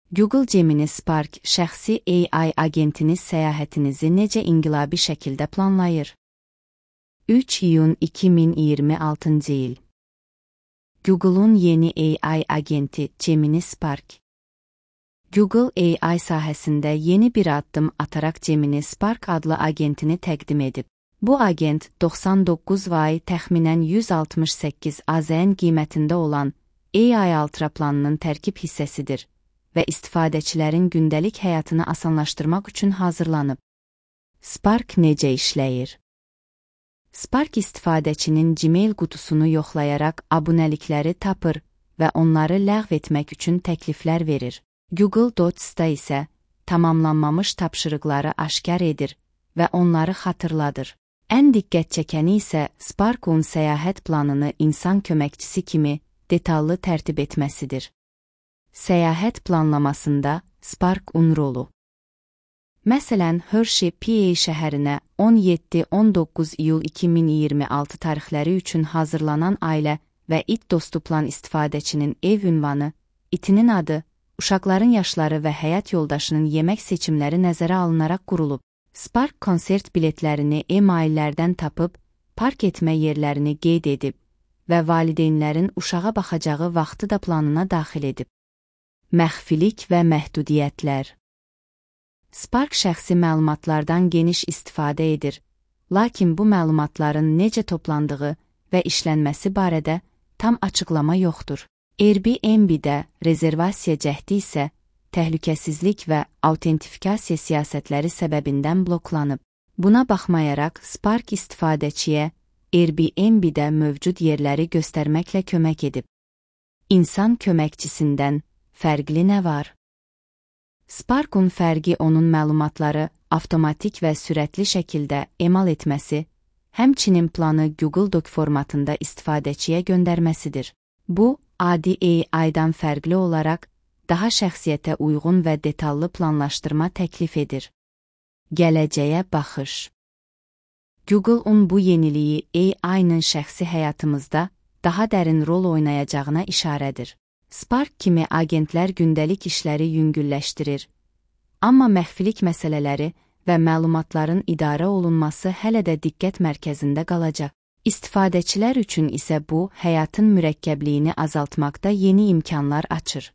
Google Gemini Spark şəxsi AI agentiniz səyahətinizi necə inqilabi şəkildə planlayır? 3 iyun 2026 il. Google'un yeni AI agenti Gemini Spark. Google AI sahəsində yeni bir addım ataraq Gemini Spark adlı agentini təqdim edib. Bu agent 99 vay təxminən 168 AZN qiymətində olan AI Ultra planının tərkib hissəsidir və istifadəçilərin gündəlik həyatını asanlaşdırmaq üçün hazırlanıb. Spark necə işləyir? Spark istifadəçinin Gmail qutusunu yoxlayaraq abunəlikləri tapır və onları ləğv etmək üçün təkliflər verir. Google Docs-da isə tamamlanmamış tapşırıqları aşkar edir və onları xatırladır. Ən diqqət çəkəni isə Spark'un səyahət planını insan köməkçisi kimi detallı tərtib etməsidir. Səyahət planlamasında Spark'un rolu. Məsələn, Hershey, PA şəhərinə 17-19 iyul 2026 tarixləri üçün hazırlanan ailə və it dostu plan istifadəçinin ev ünvanı, itinin adı, uşaqların yaşları və həyat yoldaşının yemək seçimləri nəzərə alınaraq qurulub. Spark konsert biletlərini e-maillərdən tapıb, park etmə yerlərini qeyd edib və valideynlərin uşağa baxacağı vaxtı da planına daxil edib. Məxfilik və məhdudiyyətlər. Spark şəxsi məlumatlardan geniş istifadə edir, lakin bu məlumatların necə toplandığı və işlənməsi barədə tam açıqlama yoxdur. Airbnb-də rezervasiya cəhdi isə təhlükəsizlik və autentifikasiya siyasətləri səbəbindən bloklanıb. Buna baxmayaraq, Spark istifadəçiyə Airbnb-də mövcud yerləri göstərməklə kömək edib. İnsan köməkçisindən fərqli nə var? Spark'un fərqi onun məlumatları avtomatik və sürətli şəkildə emal etməsi, həmçinin planı Google Doc formatında istifadəçiyə göndərməsidir. Bu, adi AI-dan fərqli olaraq, daha şəxsiyyətə uyğun və detallı planlaşdırma təklif edir. Gələcəyə baxış. Google'un bu yeniliyi AI-nın şəxsi həyatımızda daha dərin rol oynayacağına işarədir. Spark kimi agentlər gündəlik işləri yüngülləşdirir, amma məxfilik məsələləri və məlumatların idarə olunması hələ də diqqət mərkəzində qalacaq. İstifadəçilər üçün isə bu, həyatın mürəkkəbliyini azaltmaqda yeni imkanlar açır.